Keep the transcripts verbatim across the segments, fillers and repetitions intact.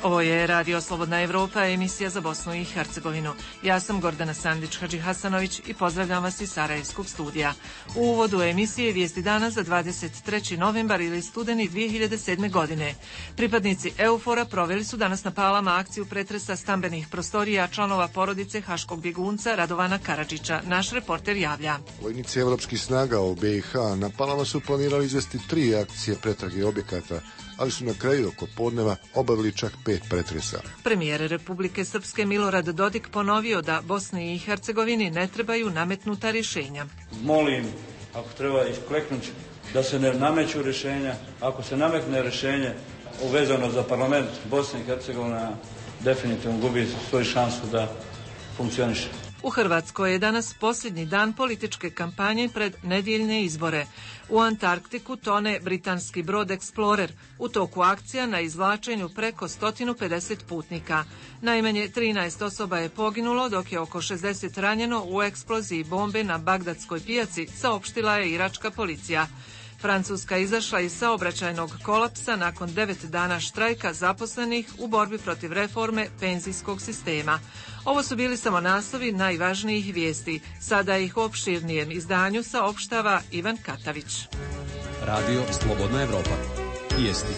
Ovo je Radio Slobodna Evropa, emisija za Bosnu i Hercegovinu. Ja sam Gordana Sandić-Hadžihasanović i pozdravljam vas iz Sarajevskog studija. U uvodu emisije vijesti dana za dvadeset treći novembar ili studeni dvije hiljade sedme. godine. Pripadnici EUFOR-a proveli su danas na Palama akciju pretresa stambenih prostorija članova porodice haškog bjegunca Radovana Karadžića. Naš reporter javlja. Vojnici evropskih snaga u B i H na Palama su planirali izvesti tri akcije pretrage objekata, ali su na kraju oko podneva obavili čak pet pretresa. Premijer Republike Srpske Milorad Dodik ponovio da Bosni i Hercegovini ne trebaju nametnuta rješenja. Molim, ako treba iskleknuti, da se ne nameću rješenja. Ako se nametne rješenje uvezano za parlament, Bosna i Hercegovina definitivno gubi svoju šansu da funkcioniše. U Hrvatskoj je danas posljednji dan političke kampanje pred nedjeljne izbore. U Antarktiku tone britanski brod Explorer, u toku akcija na izvlačenju preko sto pedeset putnika. Najmanje trinaest osoba je poginulo, dok je oko šezdeset ranjeno u eksploziji bombe na Bagdadskoj pijaci, saopštila je iračka policija. Francuska izašla iz saobraćajnog kolapsa nakon devet dana štrajka zaposlenih u borbi protiv reforme penzijskog sistema. Ovo su bili samo naslovi najvažnijih vijesti. Sada ih u opširnijem izdanju saopštava Ivan Katavić. Radio Slobodna Evropa. Vijesti.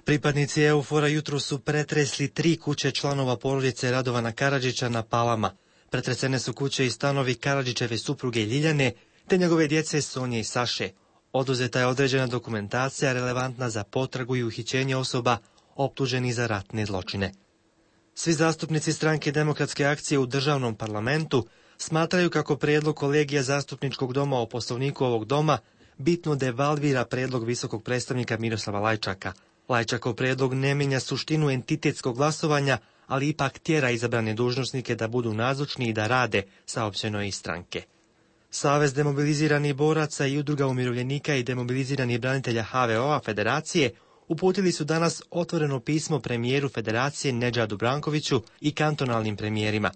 Pripadnici EUFOR-a jutro su pretresli tri kuće članova porodice Radovana Karadžića na Palama. Pretresene su kuće i stanovi Karadžićeve supruge Ljiljane, te njegove djece Sonje i Saše. Oduzeta je određena dokumentacija relevantna za potragu i uhićenje osoba optuženih za ratne zločine. Svi zastupnici stranke Demokratske akcije u državnom parlamentu smatraju kako prijedlog kolegija zastupničkog doma o poslovniku ovog doma bitno devalvira prijedlog visokog predstavnika Miroslava Lajčaka. Lajčakov prijedlog ne mijenja suštinu entitetskog glasovanja, ali ipak tjera izabrane dužnosnike da budu nazočni i da rade, saopćeno je iz stranke. Savez demobiliziranih boraca i udruga umirovljenika i demobiliziranih branitelja H V O-a Federacije uputili su danas otvoreno pismo premijeru Federacije Nedžadu Brankoviću i kantonalnim premijerima.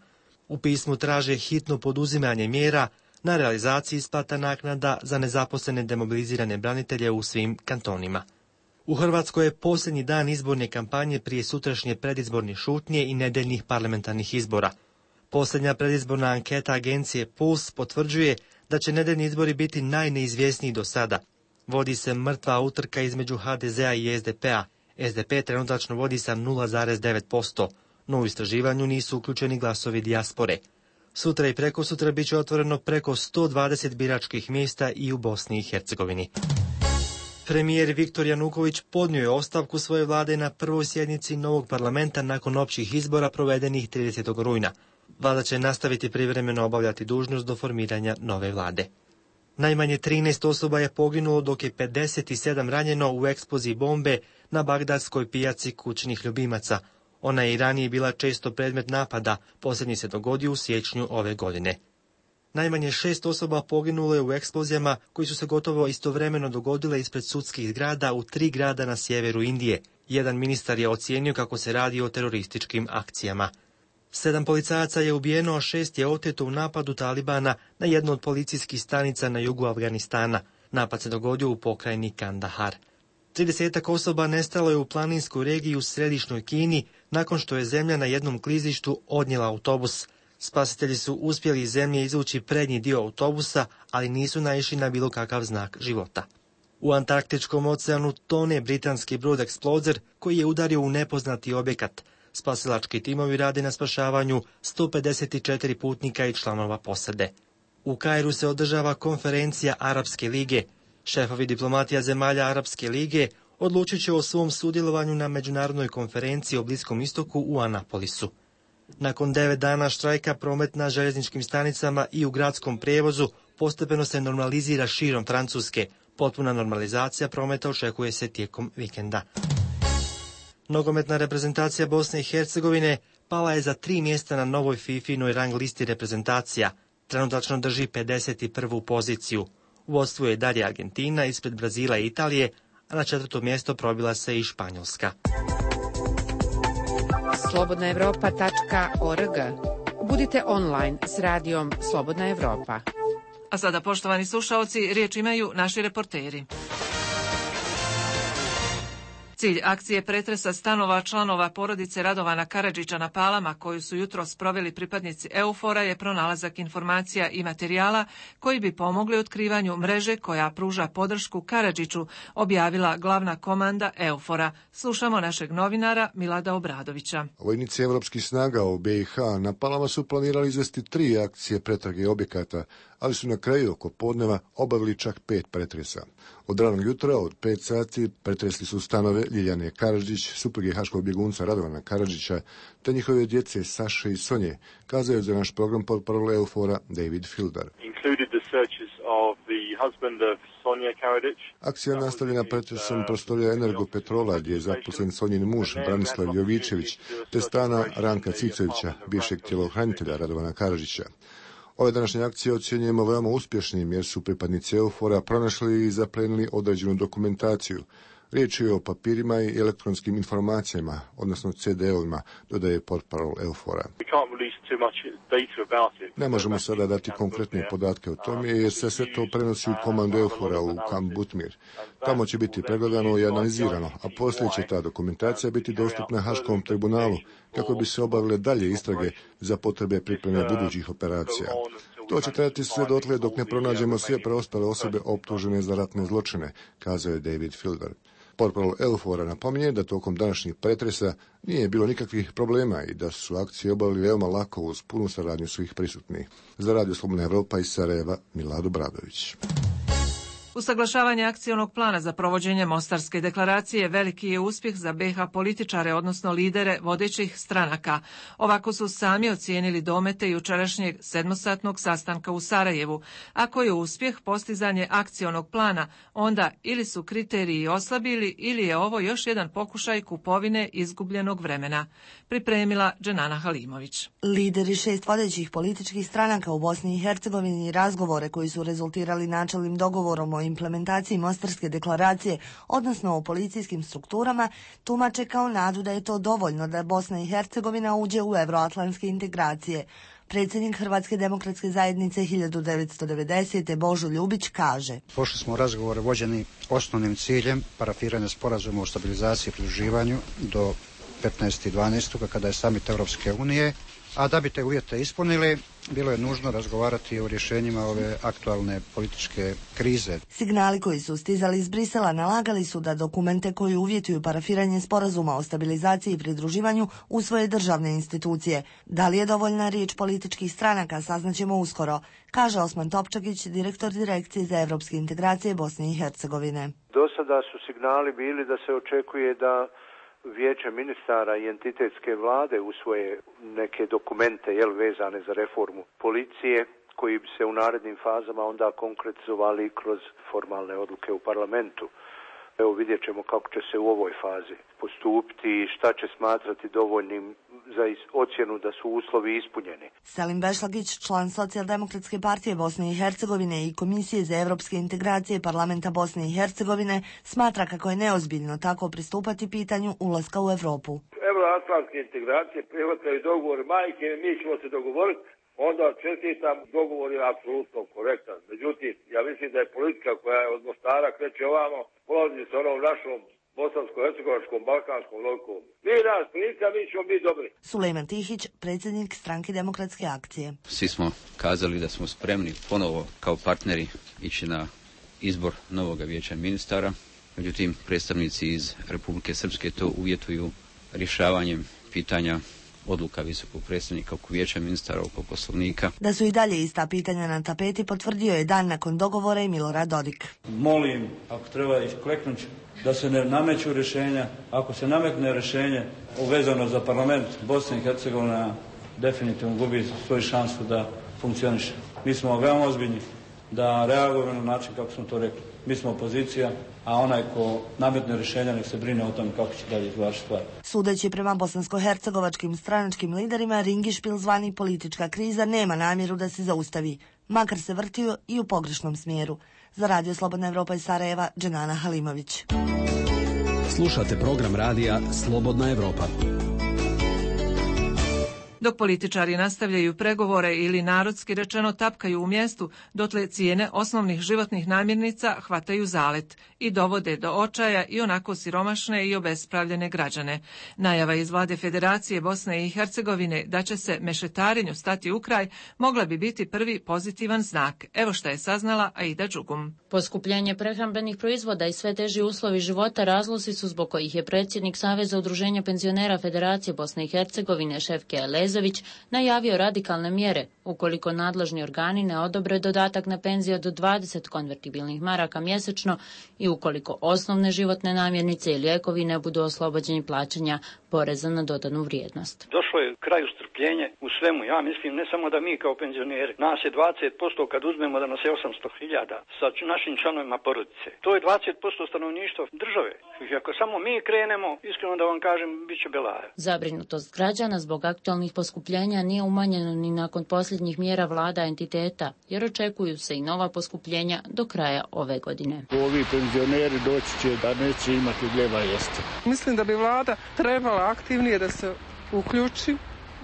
U pismu traže hitno poduzimanje mjera na realizaciji isplata naknada za nezaposlene demobilizirane branitelje u svim kantonima. U Hrvatskoj je posljednji dan izborne kampanje prije sutrašnje predizborne šutnje i nedeljnih parlamentarnih izbora. Posljednja predizborna anketa agencije Puls potvrđuje da će nedeljni izbori biti najneizvjesniji do sada. Vodi se mrtva utrka između H D Z-a i S D P-a. S D P trenutačno vodi sa nula zarez devet posto, no u istraživanju nisu uključeni glasovi dijaspore. Sutra i prekosutra bit će otvoreno preko sto dvadeset biračkih mjesta i u Bosni i Hercegovini. Premijer Viktor Januković podnio je ostavku svoje vlade na prvoj sjednici novog parlamenta nakon općih izbora provedenih tridesetog rujna. Vlada će nastaviti privremeno obavljati dužnost do formiranja nove vlade. Najmanje trinaest osoba je poginulo, dok je pedeset sedam ranjeno u eksploziji bombe na bagdadskoj pijaci kućnih ljubimaca. Ona je i ranije bila često predmet napada, posljednji se dogodio u siječnju ove godine. Najmanje šest osoba poginulo je u eksplozijama koji su se gotovo istovremeno dogodile ispred sudskih zgrada u tri grada na sjeveru Indije. Jedan ministar je ocijenio kako se radi o terorističkim akcijama. Sedam policajaca je ubijeno, a šest je oteto u napadu Talibana na jednu od policijskih stanica na jugu Afganistana. Napad se dogodio u pokrajini Kandahar. Tridesetak osoba nestalo je u planinskoj regiji u središnjoj Kini nakon što je zemlja na jednom klizištu odnijela autobus. Spasitelji su uspjeli iz zemlje izvući prednji dio autobusa, ali nisu naišli na bilo kakav znak života. U Antarktičkom oceanu tone britanski brod Explorer koji je udario u nepoznati objekat. Spasilački timovi rade na spašavanju sto pedeset četiri putnika i članova posade. U Kairu se održava konferencija Arapske lige. Šefovi diplomatija zemalja Arapske lige odlučit će o svom sudjelovanju na međunarodnoj konferenciji o Bliskom istoku u Anapolisu. Nakon devet dana štrajka promet na željezničkim stanicama i u gradskom prijevozu postepeno se normalizira širom Francuske. Potpuna normalizacija prometa očekuje se tijekom vikenda. Nogometna reprezentacija Bosne i Hercegovine pala je za tri mjesta na novoj FIFInoj rang listi reprezentacija. Trenutačno drži pedeset prvu poziciju. U vodstvu je dalje Argentina ispred Brazila i Italije, a na četvrto mjesto probila se i Španjolska. slobodna evropa tačka org. Budite online s radijom Slobodna Evropa. A sada, poštovani slušaoci, riječ imaju naši reporteri. Cilj akcije pretresa stanova članova porodice Radovana Karadžića na Palama, koju su jutros proveli pripadnici EUFOR-a, je pronalazak informacija i materijala koji bi pomogli otkrivanju mreže koja pruža podršku Karadžiću, objavila glavna komanda EUFOR-a. Slušamo našeg novinara Milada Obradovića. Vojnici evropskih snaga u B i H na Palama su planirali izvesti tri akcije pretrage objekata, ali su na kraju oko podneva obavili čak pet pretresa. Od ranog jutra, od pet sati, pretresli su stanove Ljiljane Karadžić, supruge haškog bjegunca Radovana Karadžića, te njihove djece Saše i Sonje, kazao je za naš program portparol EUFOR-a David Fildar. Akcija nastavljena pretresom prostorija Energopetrola, gdje je zaposlen Sonjin muž Branislav Jovičević, te stana Ranka Cicovića, bivšeg tjelohranitelja Radovana Karadžića. Ove današnje akcije ocjenjujemo veoma uspješnim jer su pripadnici EUFOR-a pronašli i zaplenili određenu dokumentaciju. Riječ je o papirima i elektronskim informacijama, odnosno ce de ovima, dodaje portparol EUFOR-a. Ne možemo sada dati konkretne podatke o tome jer se sve to prenosi u komandu EUFOR-a u kamp Butmir. Tamo će biti pregledano i analizirano, a poslije će ta dokumentacija biti dostupna Haškom tribunalu kako bi se obavile dalje istrage za potrebe pripreme budućih operacija. To će trajati sve dotle dok ne pronađemo sve preostale osobe optužene za ratne zločine, kazao je David Fildar. Portparol EUFOR-a napominje da tokom današnjih pretresa nije bilo nikakvih problema i da su akcije obavili veoma lako uz punu saradnju svih prisutnih. Za Radio Slobodna Evropa iz Sarajeva, Milad Obradović. Usaglašavanje akcionog plana za provođenje Mostarske deklaracije veliki je uspjeh za be ha političare, odnosno lidere vodećih stranaka. Ovako su sami ocijenili domete jučerašnjeg sedmosatnog sastanka u Sarajevu. Ako je uspjeh postizanje akcionog plana, onda ili su kriteriji oslabili ili je ovo još jedan pokušaj kupovine izgubljenog vremena. Pripremila Dženana Halimović. Lideri šest vodećih političkih stranaka u Bosni i Hercegovini razgovore koji su rezultirali načelnim dogovorom o implementaciji Mostarske deklaracije, odnosno o policijskim strukturama, tumače kao nadu da je to dovoljno da Bosna i Hercegovina uđe u euroatlantske integracije. Predsjednik Hrvatske demokratske zajednice hiljadu devetsto devedesete. Božo Ljubić kaže: Pošli smo razgovore vođeni osnovnim ciljem parafiranja sporazuma o stabilizaciji i pridruživanju do petnaestog dvanaestog kada je samit Europske unije, a da bi te uvjete ispunili, bilo je nužno razgovarati o rješenjima ove aktualne političke krize. Signali koji su stizali iz Brisela nalagali su da dokumente koji uvjetuju parafiranje sporazuma o stabilizaciji i pridruživanju usvoje državne institucije. Da li je dovoljna riječ političkih stranaka, saznaćemo uskoro, kaže Osman Topčagić, direktor Direkcije za evropske integracije Bosne i Hercegovine. Do sada su signali bili da se očekuje da Vijeće ministara i entitetske vlade usvoje neke dokumente jel, vezane za reformu policije, koji bi se u narednim fazama onda konkretizovali kroz formalne odluke u parlamentu. Evo vidjet ćemo kako će se u ovoj fazi postupiti i šta će smatrati dovoljnim za ocjenu da su uslovi ispunjeni. Selim Bešlagić, član Socijaldemokratske partije Bosne i Hercegovine i Komisije za evropske integracije Parlamenta Bosne i Hercegovine, smatra kako je neozbiljno tako pristupati pitanju ulaska u Evropu. Euroatlantske integracije prihvataju dogovor majke, mi ćemo se dogovoriti, onda čestitam, dogovor je apsolutno korektan. Međutim, ja mislim da je politika koja je od Mostara kreće ovamo, polazi sa onom našom bosansko-hercegovačkom, balkanskom logikom. Mi nas politika, mi ćemo biti dobri. Sulejman Tihić, predsjednik Stranke demokratske akcije. Svi smo kazali da smo spremni ponovo kao partneri ići na izbor novog vijeća ministara. Međutim, predstavnici iz Republike Srpske to uvjetuju rješavanjem pitanja odluka visokog predstavnika oko vijeća ministara, oko poslovnika. Da su i dalje ista pitanja na tapeti potvrdio je dan nakon dogovora i Milorad Dodik. Molim, ako treba iskleknuti, da se ne nameću rješenja. Ako se nametne rješenje uvezano za parlament, Bosna i Hercegovina definitivno gubi svoju šansu da funkcioniše. Mi smo veoma ozbiljni da reagujemo na način kako smo to rekli. Mi smo opozicija, a onaj ko nametne rješenja nek se brine o tome kako će dalje izvlačiti stvari. Sudeći prema bosansko-hercegovačkim stranačkim liderima, ringišpil zvani politička kriza nema namjeru da se zaustavi, makar se vrtio i u pogrešnom smjeru. Za Radio Slobodna Evropa iz Sarajeva, Dženana Halimović. Slušate program radija Slobodna Evropa. Dok političari nastavljaju pregovore ili narodski rečeno tapkaju u mjestu, dotle cijene osnovnih životnih namirnica hvataju zalet i dovode do očaja i onako siromašne i obespravljene građane. Najava iz vlade Federacije Bosne i Hercegovine da će se mešetarenju stati u kraj mogla bi biti prvi pozitivan znak. Evo šta je saznala Aida Đugum. Poskupljenje prehrambenih proizvoda i sve teži uslovi života razlozi su zbog kojih je predsjednik Saveza udruženja penzionera Federacije Bosne i Hercegovine Šefke Elezović najavio radikalne mjere ukoliko nadležni organi ne odobre dodatak na penziju do dvadeset konvertibilnih maraka mjesečno i ukoliko osnovne životne namirnice i lijekovi ne budu oslobođeni plaćanja poreza na dodanu vrijednost. Došlo je kraju strpljenje u svemu. Ja mislim ne samo da mi kao penzioneri, nas je dvadeset posto kad uzmemo da nas je osamsto hiljada sa našim članovima porodice. To je dvadeset posto stanovništva države. I ako samo mi krenemo, iskreno da vam kažem, bit će belaja. Zabrinutost građana zbog aktualnih poskupljenja nije umanjena ni nakon posljednjih mjera vlada entiteta, jer očekuju se i nova poskupljenja do kraja ove godine. Ovi penzioneri doći će da neće imati gljeva jesti. Mislim da bi vlada trebala aktivnije da se uključi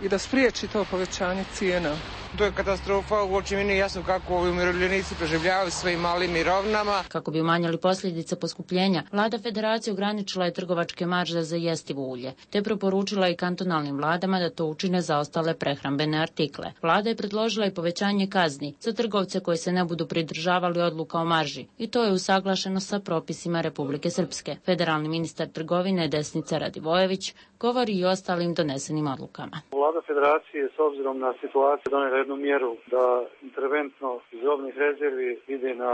i da spriječi to povećanje cijena. To je katastrofa, uopće mi nije jasno kako ovi umirovljenici preživljavaju svojim malim mirovinama. Kako bi umanjili posljedice poskupljenja, vlada Federacije ograničila je trgovačke marže za jestivo ulje, te preporučila i kantonalnim vladama da to učine za ostale prehrambene artikle. Vlada je predložila i povećanje kazni za trgovce koji se ne budu pridržavali odluka o marži, i to je usaglašeno sa propisima Republike Srpske. Federalni ministar trgovine Desnica Radivojević govori i o ostalim donesenim odlukama. Vlada Federacije s obzirom na situaciju donijela jednu mjeru da interventno iz robnih rezervi ide na,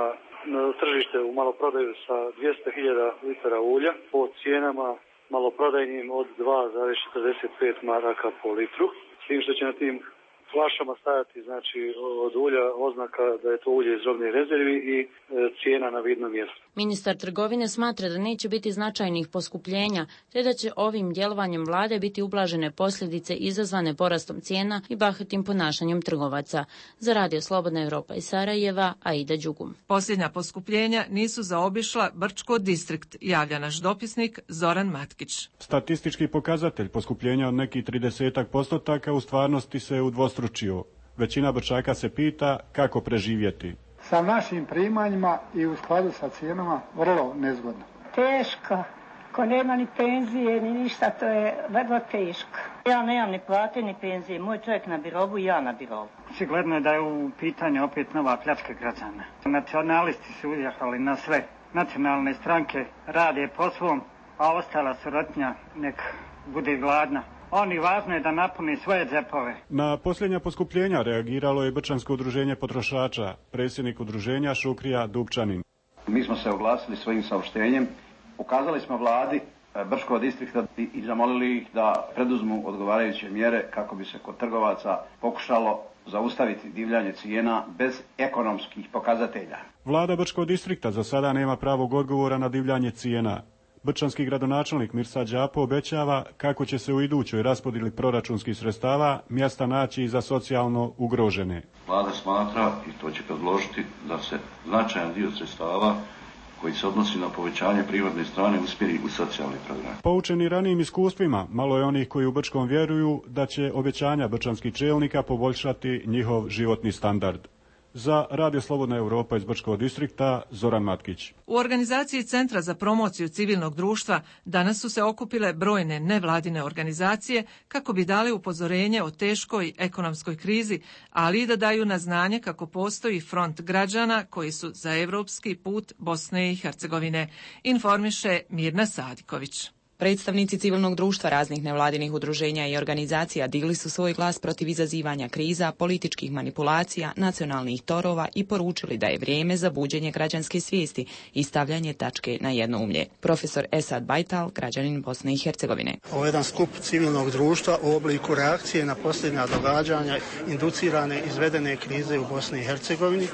na tržište u maloprodaju sa dvjesto hiljada litara ulja po cijenama maloprodajnim od dva zarez četrdeset pet maraka po litru, s tim što će na tim flašama stajati znači od ulja oznaka da je to ulje iz robnih rezervi i e, cijena na vidnom mjestu. Ministar trgovine smatra da neće biti značajnih poskupljenja, te da će ovim djelovanjem vlade biti ublažene posljedice izazvane porastom cijena i bahatim ponašanjem trgovaca. Za Radio Slobodna Evropa iz Sarajeva, Aida Đugum. Posljednja poskupljenja nisu zaobišla Brčko distrikt, javlja naš dopisnik Zoran Matkić. Statistički pokazatelj poskupljenja od nekih tridesetak postotaka u stvarnosti se udvostručio. Većina Brčaka se pita kako preživjeti. Sa našim primanjima i u skladu sa cijenama vrlo nezgodno. Teško. Ko nema ni penzije, ni ništa, to je vrlo teško. Ja nemam ni plate, ni penzije. Moj čovjek na birovu, ja na birovu. Sigurno je da je u pitanju opet nova pljačka građana. Nacionalisti su uzjahali na sve. Nacionalne stranke rade po svom, a ostala surotnja nek bude gladna. Oni važno je da napuni svoje džepove. Na posljednja poskupljenja reagiralo je Brčansko udruženje potrošača, predsjednik udruženja Šukrija Dupčanin. Mi smo se oglasili svojim saopštenjem, ukazali smo vladi Brčkog distrikta i zamolili ih da preduzmu odgovarajuće mjere kako bi se kod trgovaca pokušalo zaustaviti divljanje cijena bez ekonomskih pokazatelja. Vlada Brčkog distrikta za sada nema pravog odgovora na divljanje cijena. Brčanski gradonačelnik Mirsa Đapo obećava kako će se u idućoj raspodjeli proračunskih sredstava mjesta naći i za socijalno ugrožene. Vlada smatra, i to će predložiti, da se značajan dio sredstava koji se odnosi na povećanje privatne strane usmjeri u socijalni program. Poučeni ranijim iskustvima, malo je onih koji u Brčkom vjeruju da će obećanja brčanskih čelnika poboljšati njihov životni standard. Za Radio Slobodna Evropa iz Brčkog distrikta, Zoran Matkić. U organizaciji Centra za promociju civilnog društva danas su se okupile brojne nevladine organizacije kako bi dali upozorenje o teškoj ekonomskoj krizi, ali i da daju na znanje kako postoji front građana koji su za evropski put Bosne i Hercegovine, informiše Mirna Sadiković. Predstavnici civilnog društva raznih nevladinih udruženja i organizacija digli su svoj glas protiv izazivanja kriza, političkih manipulacija, nacionalnih torova i poručili da je vrijeme za buđenje građanske svijesti i stavljanje tačke na jednoumlje. Profesor Esad Bajtal, građanin Bosne i Hercegovine. Ovo je jedan skup civilnog društva u obliku reakcije na posljednja događanja inducirane izvedene krize u Bosni i Hercegovini,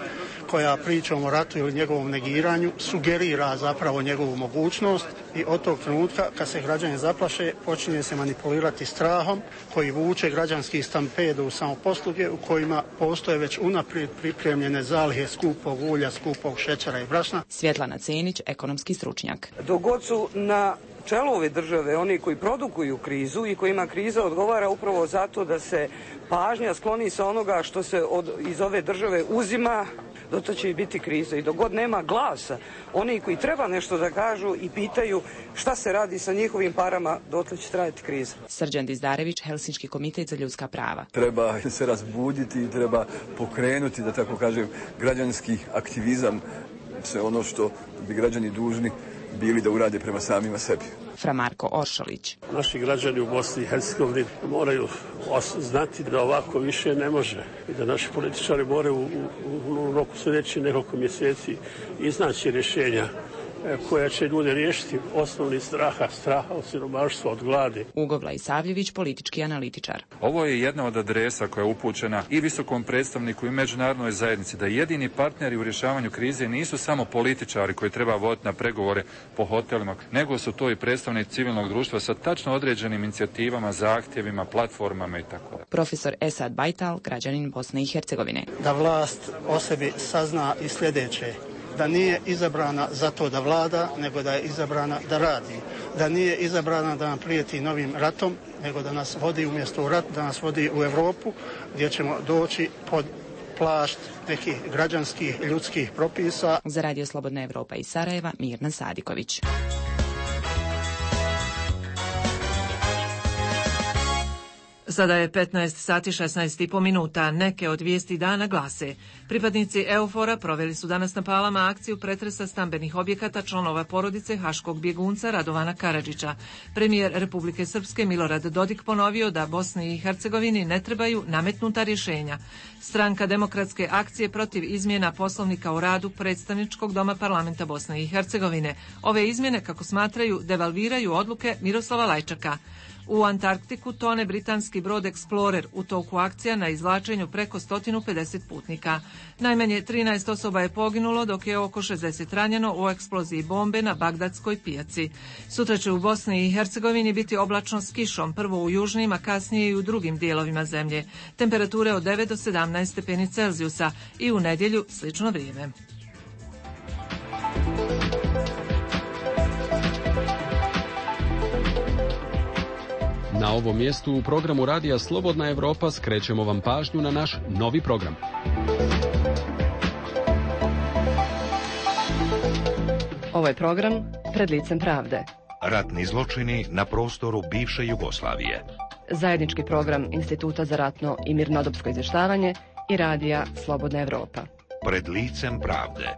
koja pričom o ratu ili njegovom negiranju sugerira zapravo njegovu mogućnost i od tog trenutka kad se građani zaplaše počinje se manipulirati strahom koji vuče građanski stampedo u samoposluge u kojima postoje već unaprijed pripremljene zalihe skupog ulja, skupog šećera i brašna. Svjetlana Cenić, ekonomski stručnjak. Dok god su na čelu ove države oni koji produkuju krizu i kojima kriza odgovara upravo zato da se pažnja skloni sa onoga što se od, iz ove države uzima, doto će i biti kriza. I dok god nema glasa, oni koji treba nešto da kažu i pitaju šta se radi sa njihovim parama, dotle će trajati kriza. Srđan Dizdarević, Helsinški komitet za ljudska prava. Treba se razbuditi i treba pokrenuti, da tako kažem, građanski aktivizam, sve ono što bi građani dužni bili da urade prema samima sebi. Fra Marko Oršolić. Naši građani u Bosni i Hercegovini moraju znati da ovako više ne može i da naši političari moraju u, u, u roku sljedećih nekoliko mjeseci iznaći rješenja koja će ljude riješiti osnovni straha, straha od siromaštva, od gladi. Ugo Savljević, politički analitičar. Ovo je jedna od adresa koja je upućena i visokom predstavniku i međunarodnoj zajednici da jedini partneri u rješavanju krize nisu samo političari koji treba voditi na pregovore po hotelima, nego su to i predstavnici civilnog društva sa tačno određenim inicijativama, zahtjevima, platformama i tako dalje. Profesor Esad Bajtal, građanin Bosne i Hercegovine. Da vlast o sebi sazna i sljedeće: da nije izabrana zato da vlada, nego da je izabrana da radi. Da nije izabrana da nam prijeti novim ratom, nego da nas vodi umjesto u rat, da nas vodi u Europu, gdje ćemo doći pod plašt nekih građanskih ljudskih propisa. Za Radio Slobodna Evropa iz Sarajeva, Mirna Sadiković. Sada je petnaest sati šesnaest i po minuta. Neke od vijesti dana glase: pripadnici EUFOR-a proveli su danas na Palama akciju pretresa stambenih objekata članova porodice haškog bjegunca Radovana Karadžića. Premijer Republike Srpske Milorad Dodik ponovio da Bosni i Hercegovini ne trebaju nametnuta rješenja. Stranka Demokratske akcije protiv izmjena Poslovnika o radu predstavničkog doma parlamenta Bosne i Hercegovine. Ove izmjene, kako smatraju, devalviraju odluke Miroslava Lajčaka. U Antarktiku tone britanski brod Explorer u toku akcija na izvlačenju preko sto pedeset putnika. Najmanje trinaest osoba je poginulo, dok je oko šezdeset ranjeno u eksploziji bombe na Bagdadskoj pijaci. Sutra će u Bosni i Hercegovini biti oblačno s kišom, prvo u južnim, a kasnije i u drugim dijelovima zemlje. Temperature od devet do sedamnaest stepeni Celzijusa i u nedjelju slično vrijeme. Na ovom mjestu u programu Radija Slobodna Evropa skrećemo vam pažnju na naš novi program. Ovo je program Pred licem pravde. Ratni zločini na prostoru bivše Jugoslavije. Zajednički program Instituta za ratno i mirnodopsko izvještavanje i Radija Slobodna Evropa. Pred licem pravde.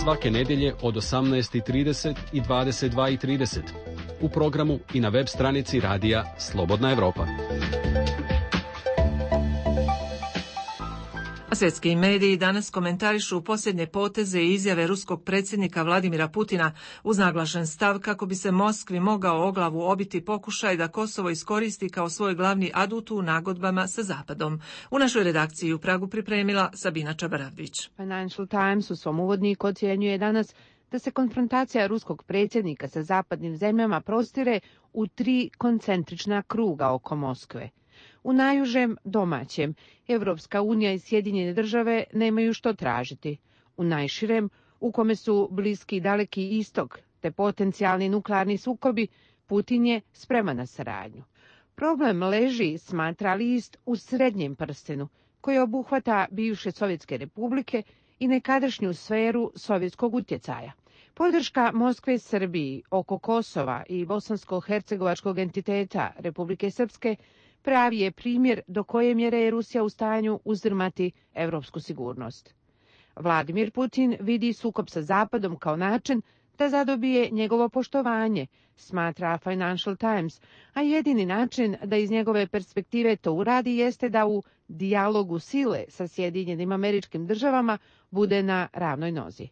Svake nedjelje od osamnaest i trideset i dvadeset dva i trideset u programu i na web stranici Radija Slobodna Evropa. Svjetski mediji danas komentarišu posljednje poteze i izjave ruskog predsjednika Vladimira Putina uz naglašen stav kako bi se Moskvi mogao o glavu obiti pokušaj da Kosovo iskoristi kao svoj glavni adut u nagodbama sa Zapadom. U našoj redakciji u Pragu pripremila Sabina Čabaravvić. Financial Times u svom uvodniku ocjenjuje danas da se konfrontacija ruskog predsjednika sa zapadnim zemljama prostire u tri koncentrična kruga oko Moskve. U najužem domaćem, Evropska unija i Sjedinjene države nemaju što tražiti. U najširem, u kome su Bliski i Daleki istok, te potencijalni nuklearni sukobi, Putin je spreman na saradnju. Problem leži, smatra list, u srednjem prstenu, koji obuhvata bivše Sovjetske republike i nekadašnju sferu sovjetskog utjecaja. Podrška Moskve Srbiji oko Kosova i bosansko-hercegovačkog entiteta Republike Srpske pravi je primjer do koje mjere je Rusija u stanju uzdrmati evropsku sigurnost. Vladimir Putin vidi sukob sa Zapadom kao način da zadobije njegovo poštovanje, smatra Financial Times, a jedini način da iz njegove perspektive to uradi jeste da u dijalogu sile sa Sjedinjenim Američkim Državama bude na ravnoj nozi.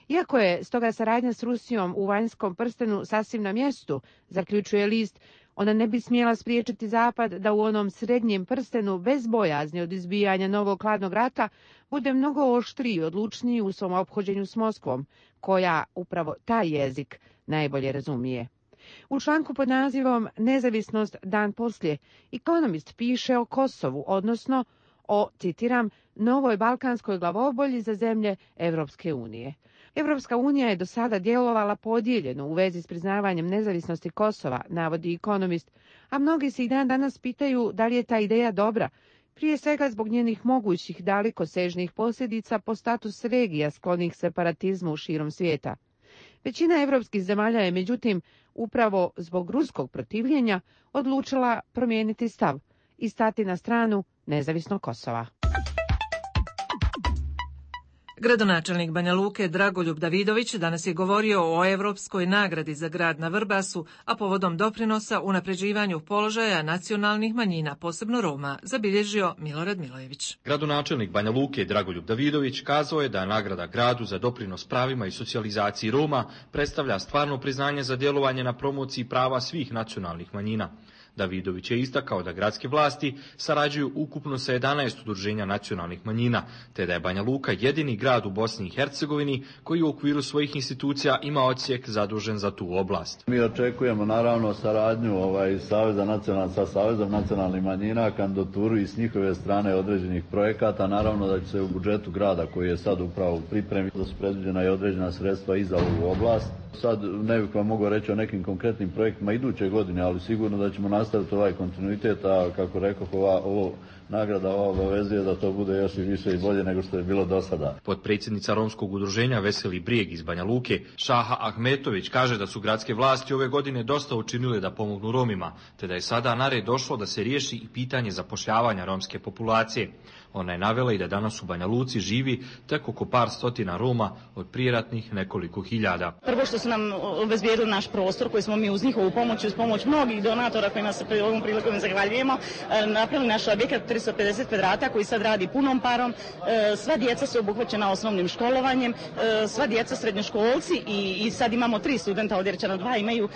Iako je stoga saradnja s Rusijom u vanjskom prstenu sasvim na mjestu, zaključuje list, Ona ne bi smjela spriječiti Zapad da u onom srednjem prstenu, bez bojazni od izbijanja novog hladnog rata, bude mnogo oštriji i odlučniji u svom ophođenju s Moskvom, koja upravo taj jezik najbolje razumije. U članku pod nazivom Nezavisnost dan poslije, Economist piše o Kosovu, odnosno o, citiram, novoj balkanskoj glavobolji za zemlje Evropske unije. Evropska unija je do sada djelovala podijeljeno u vezi s priznavanjem nezavisnosti Kosova, navodi Economist, a mnogi se i dan danas pitaju da li je ta ideja dobra, prije svega zbog njenih mogućih dalekosežnih posljedica po status regija sklonih separatizmu širom svijeta. Većina evropskih zemalja je, međutim, upravo zbog ruskog protivljenja odlučila promijeniti stav i stati na stranu nezavisnog Kosova. Gradonačelnik Banja Luke Dragoljub Davidović danas je govorio o Europskoj nagradi za grad na Vrbasu, a povodom doprinosa unapređivanju položaja nacionalnih manjina, posebno Roma, zabilježio Milorad Milojević. Gradonačelnik Banja Luke Dragoljub Davidović kazao je da nagrada gradu za doprinos pravima i socijalizaciji Roma predstavlja stvarno priznanje za djelovanje na promociji prava svih nacionalnih manjina. Davidović je istakao da gradske vlasti sarađuju ukupno sa jedanaest udruženja nacionalnih manjina, te da je Banja Luka jedini grad u Bosni i Hercegovini koji u okviru svojih institucija ima odsjek zadužen za tu oblast. Mi očekujemo naravno saradnju ovaj, Saveza nacional, sa Savezom nacionalnih manjina, kandidaturu i s njihove strane određenih projekata. Naravno da će se u budžetu grada koji je sad upravo u pripremi, da su predviđena i određena sredstva i za ovu oblast. Sad ne bih vam mogao reći o nekim konkretnim projektima iduće godine, ali sigurno da ćemo nastaviti ovaj kontinuitet, a kako rekao, ova, ovo nagrada ova obavezuje da to bude još i više i bolje nego što je bilo do sada. Potpredsjednica Romskog udruženja Veseli Brijeg iz Banja Luke, Šaha Ahmetović, kaže da su gradske vlasti ove godine dosta učinile da pomognu Romima, te da je sada na red došlo da se riješi i pitanje zapošljavanja romske populacije. Ona je navela i da danas u Banja Luci živi tek oko par stotina Roma od prijeratnih nekoliko hiljada. Prvo što su nam obezbijedili naš prostor koji smo mi uz njihovu pomoć, uz pomoć mnogih donatora kojima se pri ovom prilikom zahvaljujemo, napravili naš objekat tristo pedeset kvadrata koji sad radi punom parom. Sva djeca su obuhvaćena osnovnim školovanjem, sva djeca srednjoškolci i, i sad imamo tri studenta od Jerčana dva imaju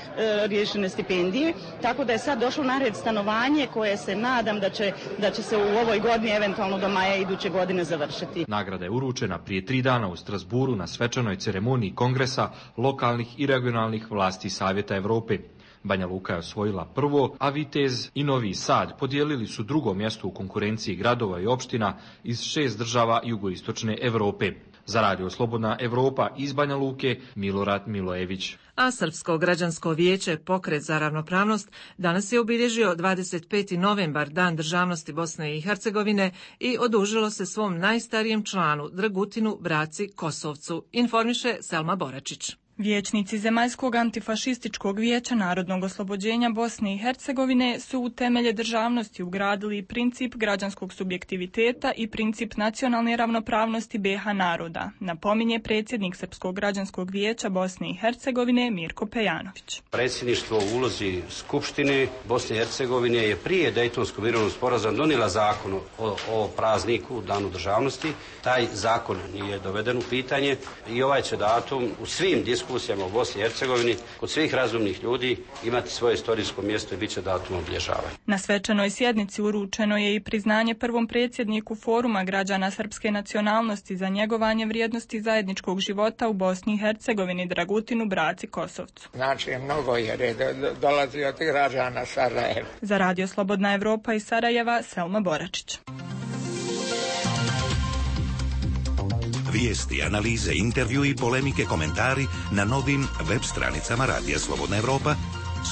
riješene stipendije, tako da je sad došlo na red stanovanje koje se nadam da će, da će se u ovoj godini eventualno do maja iduće godine završiti. Nagrada je uručena prije tri dana u Strasburu na svečanoj ceremoniji kongresa lokalnih i regionalnih vlasti Savjeta Europe. Banja Luka je osvojila prvo, a Vitez i Novi Sad podijelili su drugo mjesto u konkurenciji gradova i opština iz šest država jugoistočne Europe. Za Radio Slobodna Evropa iz Banja Luke, Milorad Milojević. A Srpsko građansko vijeće Pokret za ravnopravnost danas je obilježio dvadeset peti novembar, Dan državnosti Bosne i Hercegovine, i odužilo se svom najstarijem članu, Dragutinu Braci Kosovcu, informiše Selma Boračić. Vijećnici Zemaljskog antifašističkog vijeća narodnog oslobođenja Bosne i Hercegovine su u temelje državnosti ugradili princip građanskog subjektiviteta i princip nacionalne ravnopravnosti B iH naroda, napominje predsjednik Srpskog građanskog vijeća Bosne i Hercegovine Mirko Pejanović. Predsjedništvo u ulozi Skupštine Bosne i Hercegovine je prije Dejtonskog mirovnog sporazuma donijela zakon o, o prazniku, Danu državnosti. Taj zakon nije doveden u pitanje i ovaj će datum u svim diskusijama u Bosni i Hercegovini kod svih razumnih ljudi imati svoje istorijsko mjesto i bit će datum obilježavanja. Na svečanoj sjednici uručeno je i priznanje prvom predsjedniku Foruma građana srpske nacionalnosti za njegovanje vrijednosti zajedničkog života u Bosni i Hercegovini Dragutinu Braci Kosovcu. Znači mnogo je dolazi od građana Sarajeva. Za Radio Slobodna Evropa iz Sarajeva, Selma Boračić. Vijesti, analize, intervju i polemike, komentari na novim web stranicama Radija Slobodna Evropa,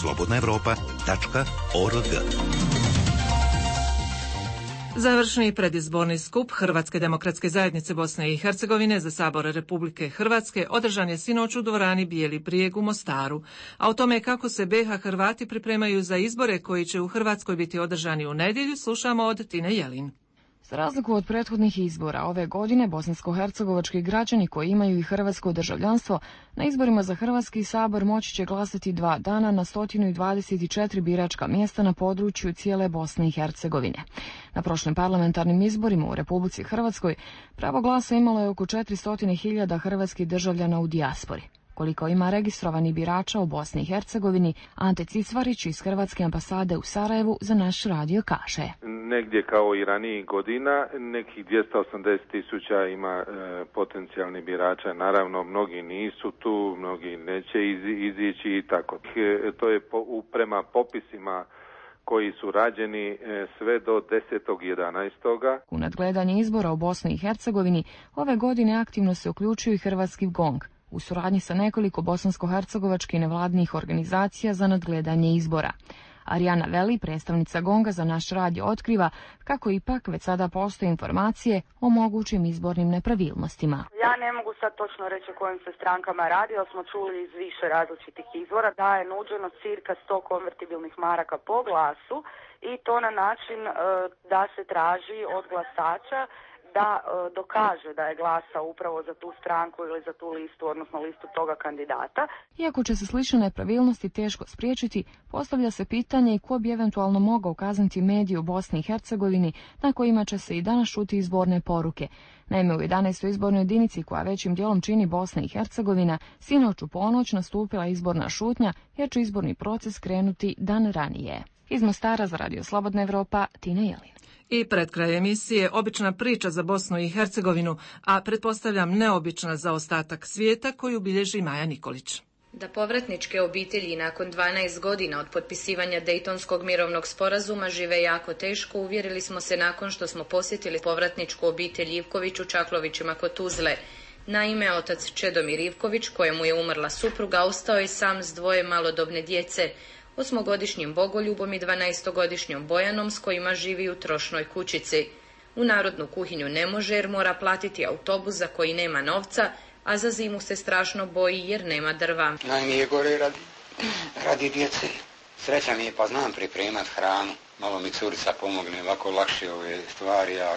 slobodna evropa tačka org. Završni predizborni skup Hrvatske demokratske zajednice Bosne i Hercegovine za Sabor Republike Hrvatske održan je sinoć u dvorani Bijeli brijeg u Mostaru. A o tome kako se B iH Hrvati pripremaju za izbore koji će u Hrvatskoj biti održani u nedjelju, slušamo od Tine Jelin. Za razliku od prethodnih izbora, ove godine bosansko-hercegovački građani koji imaju i hrvatsko državljanstvo na izborima za Hrvatski sabor moći će glasati dva dana na sto dvadeset četiri biračka mjesta na području cijele Bosne i Hercegovine. Na prošlim parlamentarnim izborima u Republici Hrvatskoj pravo glasa imalo je oko četiristo hiljada hrvatskih državljana u dijaspori. koliko ima registrovanih birača u Bosni i Hercegovini, Ante Cisvarić iz Hrvatske ambasade u Sarajevu za naš radio kaže. Negdje kao i ranijih godina, nekih dvjesto osamdeset tisuća ima e, potencijalnih birača. Naravno, mnogi nisu tu, mnogi neće iz, izići i tako. E, to je po, u, prema popisima koji su rađeni sve do desetog jedanaestog U nadgledanje izbora u Bosni i Hercegovini ove godine aktivno se uključuju i Hrvatski GONG u suradnji sa nekoliko bosansko-hercegovačkih nevladinih organizacija za nadgledanje izbora. Arijana Veli, predstavnica GONGA za naš radio, otkriva kako ipak već sada postoje informacije o mogućim izbornim nepravilnostima. Ja ne mogu sad točno reći o kojim se strankama radi, ali smo čuli iz više različitih izvora da je nuđeno cirka sto konvertibilnih maraka po glasu i to na način e, da se traži od glasača da e, dokaže da je glasa upravo za tu stranku ili za tu listu, odnosno listu toga kandidata. Iako će se slične nepravilnosti teško spriječiti, postavlja se pitanje i ko bi eventualno mogao kazniti medije u Bosni i Hercegovini na kojima će se i danas čuti izborne poruke. Naime, u jedanaestoj izbornoj jedinici, koja većim dijelom čini Bosna i Hercegovina, sinoć u ponoć nastupila izborna šutnja jer će izborni proces krenuti dan ranije. Iz Mostara za Radio Slobodna Evropa, Tina Jelin. I pred kraj emisije obična priča za Bosnu i Hercegovinu, a pretpostavljam neobična za ostatak svijeta koju bilježi Maja Nikolić. Da povratničke obitelji nakon dvanaest godina od potpisivanja Dejtonskog mirovnog sporazuma žive jako teško, uvjerili smo se nakon što smo posjetili povratničku obitelj Ivković u Čaklovićima kod Tuzle. Naime, otac Čedomir Ivković, kojemu je umrla supruga, ostao je sam s dvoje malodobne djece, osmogodišnjim Bogoljubom i dvanaestogodišnjom Bojanom, s kojima živi u trošnoj kućici. U narodnu kuhinju ne može jer mora platiti autobus za koji nema novca, a za zimu se strašno boji jer nema drva. Najmije gore radi, radi djece. Sreća mi je pa znam pripremat hranu. Malo mi curica pomogne, ovako lakše ove stvari, a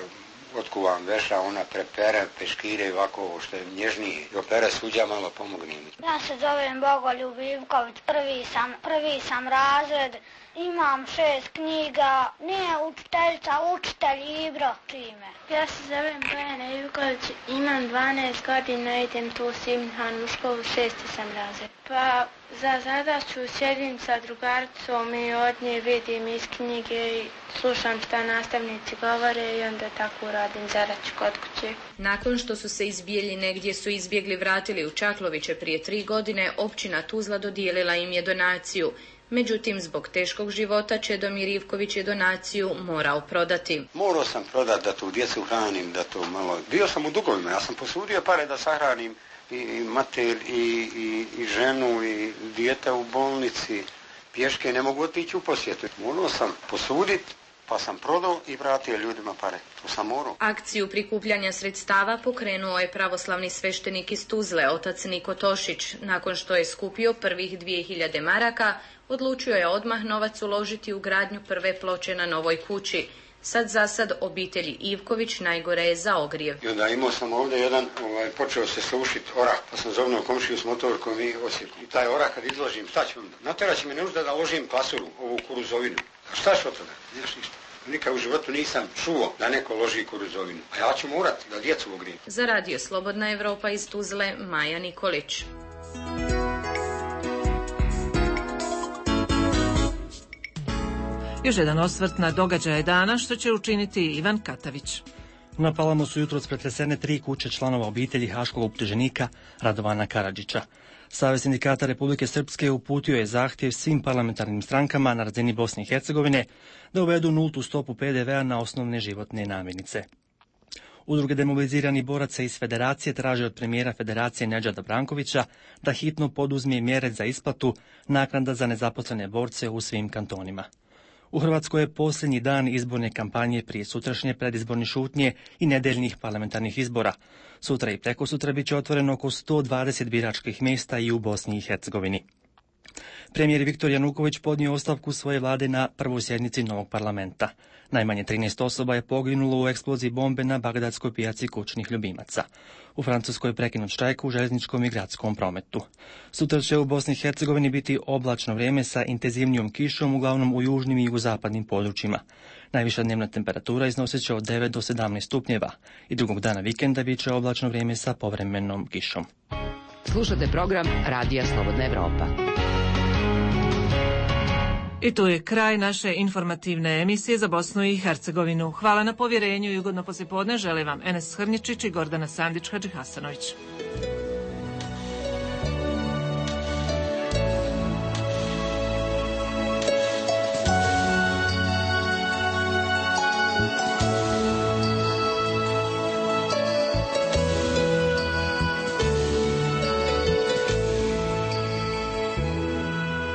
otkuvam veša, ona prepere peškire ovako što je nježnije. I opere suđa, malo pomogne mi. Ja se zovem Bogoljub Ivković, prvi sam, prvi sam razred, imam šest knjiga, nije učiteljica, učitelj Ibro čime. Ja se zovem Bojana Ivković, imam dvanaest godina, idem tu u Simhan u školu, šesti sam razred. Pa za zadaću sjedim sa drugaricom i od nje vidim iz knjige i slušam šta nastavnici govore i onda tako radim zadaću kod kuće. Nakon što su se iz Bijeljine gdje su izbjegli vratili u Čakloviće prije tri godine, općina Tuzla dodijelila im je donaciju. Međutim, zbog teškog života Čedomir Ivković je donaciju morao prodati. Morao sam prodati da tu djecu hranim, da to malo... Bio sam u dugovima, ja sam posudio pare da sahranim i mater i, i, i ženu i dijete u bolnici. Pješke ne mogu otići u posjetu. Morao sam posuditi, pa sam prodao i vratio ljudima pare. To sam morao. Akciju prikupljanja sredstava pokrenuo je pravoslavni sveštenik iz Tuzle, otac Niko Tošić. Nakon što je skupio prvih dvije hiljade maraka, odlučio je odmah novac uložiti u gradnju prve ploče na novoj kući. Sad za sad obitelji Ivković najgore je za ogrijev. I onda imao sam ovdje jedan, ovaj, počeo se slušiti orah, pa sam zovnuo komšiju s motorkom i osjeku. I taj orah kad izložim, šta ću onda? Natera će mi nužda da ložim pasuru, ovu kuruzovinu. A šta ću od toga? Nemaš ništa. Nikad u životu nisam čuo da neko loži kuruzovinu. A ja ću morat da djecu ogrijem. Za Radio Slobodna Evropa iz Tuzle, Maja Nikolić. Još jedan osvrt na događaje dana što će učiniti Ivan Katavić. Na Palamu su jutros pretresene tri kuće članova obitelji haškog optuženika Radovana Karadžića. Savez sindikata Republike Srpske uputio je zahtjev svim parlamentarnim strankama na razini Bosne i Hercegovine da uvedu nultu stopu pe de vea na osnovne životne namirnice. Udruge demobiliziranih boraca iz Federacije traže od premijera Federacije Nedžada Brankovića da hitno poduzme mjere za isplatu naknada za nezaposlene borce u svim kantonima. U Hrvatskoj je posljednji dan izborne kampanje prije sutrašnje predizborne šutnje i nedeljnih parlamentarnih izbora. Sutra i prekosutra bit će otvoreno oko sto dvadeset biračkih mjesta i u Bosni i Hercegovini. Premijer Viktor Januković podnio ostavku svoje vlade na prvoj sjednici novog parlamenta. Najmanje trinaest osoba je poginulo u eksploziji bombe na bagdadskoj pijaci kućnih ljubimaca. U Francuskoj je prekinut štrajk u željezničkom i gradskom prometu. Sutra će u Bosni i Hercegovini biti oblačno vrijeme sa intenzivnijom kišom, uglavnom u južnim i jugozapadnim područjima. Najviša dnevna temperatura iznosit će od devet do sedamnaest stupnjeva i drugog dana vikenda bit će oblačno vrijeme sa povremenom kišom. Slušate program Radija Slobodna Evropa. I tu je kraj naše informativne emisije za Bosnu i Hercegovinu. Hvala na povjerenju i ugodno poslijepodne žele vam Enes Hrničić i Gordana Sandić-Hadžihasanović.